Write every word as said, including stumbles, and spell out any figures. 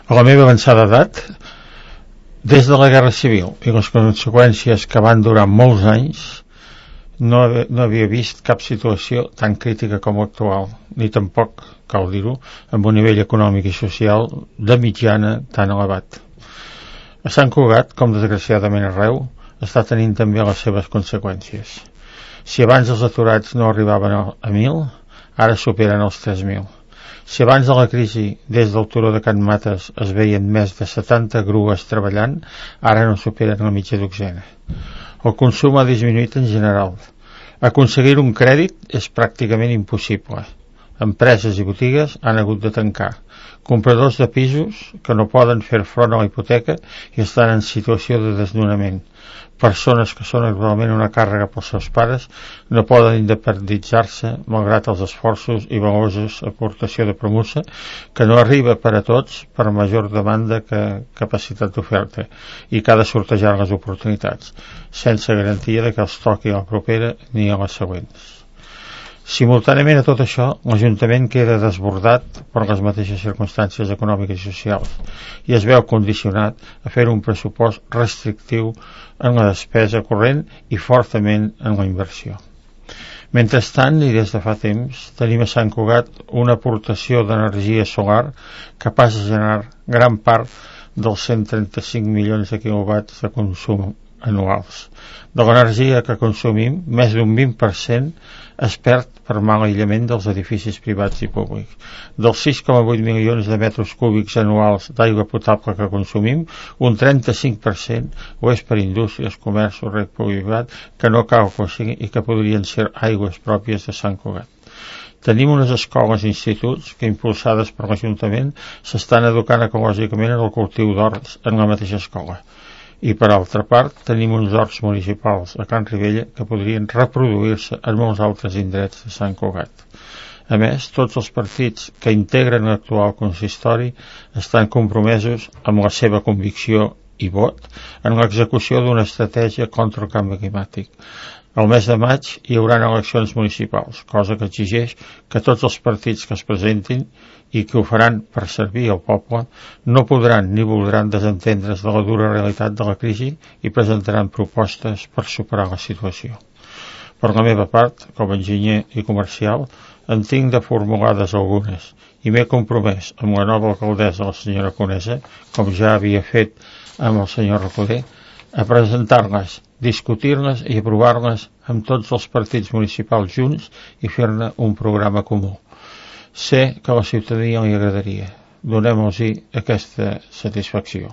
A la meva avançada edat, des de la Guerra Civil i les conseqüències que van durar molts anys, no, no havia vist cap situació tan crítica com l'actual, ni tampoc, cal dir-ho, amb un nivell econòmic i social de mitjana tan elevat. A Sant Cugat, com desgraciadament arreu, està tenint també les seves conseqüències. Si abans els aturats no arribaven a mil, ara superen els tres mil. Si abans de la crisi, des del turó de Can Mates, es veien més de setanta grues treballant, ara no superen la mitja dotzena. El consum ha disminuït en general. Aconseguir un crèdit és pràcticament impossible. Empreses i botigues han hagut de tancar. Compradors de pisos que no poden fer front a la hipoteca i estan en situació de desnonament. Persones que són actualment una càrrega pels seus pares no poden independitzar-se malgrat els esforços i valuosos aportació de promoció que no arriba per a tots per major demanda que capacitat d'oferta i que ha de sortejar les oportunitats sense garantia de que els toqui a la propera ni a les següents. Simultàniament a tot això, l'Ajuntament queda desbordat per les mateixes circumstàncies econòmiques i socials i es veu condicionat a fer un pressupost restrictiu en la despesa corrent i fortament en la inversió. Mentrestant, i des de fa temps, tenim a Sant Cugat una aportació d'energia solar capaç de generar gran part dels cent trenta-cinc milions de quilowatts de consum anuals. De l'energia que consumim, més d'un vint per cent es perd per mal aïllament dels edificis privats i públics. Dels sis coma vuit milions de metres cúbics anuals d'aigua potable que consumim, un trenta-cinc per cent ho és per indústries, comerç o reg privat que no cal que sigui i que podrien ser aigües pròpies de Sant Cugat. Tenim unes escoles i instituts que, impulsades per l'Ajuntament, s'estan educant ecològicament en el cultiu d'horts en la mateixa escola. I per altra part tenim uns horts municipals a Can Ribella que podrien reproduir-se en molts altres indrets de Sant Cugat. A més, tots els partits que integren l'actual consistori estan compromesos amb la seva convicció i vot en l'execució d'una estratègia contra el canvi climàtic. Al mes de maig hi haurà eleccions municipals, cosa que exigeix que tots els partits que es presentin i que ho faran per servir al poble no podran ni voldran desentendre's de la dura realitat de la crisi i presentaran propostes per superar la situació. Per la meva part, com a enginyer i comercial, en tinc de formulades algunes i m'he compromès amb la nova alcaldessa, la senyora Conesa, com ja havia fet amb el senyor Recoder, a presentar-les, discutir-les i aprovar-les amb tots els partits municipals junts i fer-ne un programa comú. Sé que a la ciutadania li agradaria. Donem-los-hi aquesta satisfacció.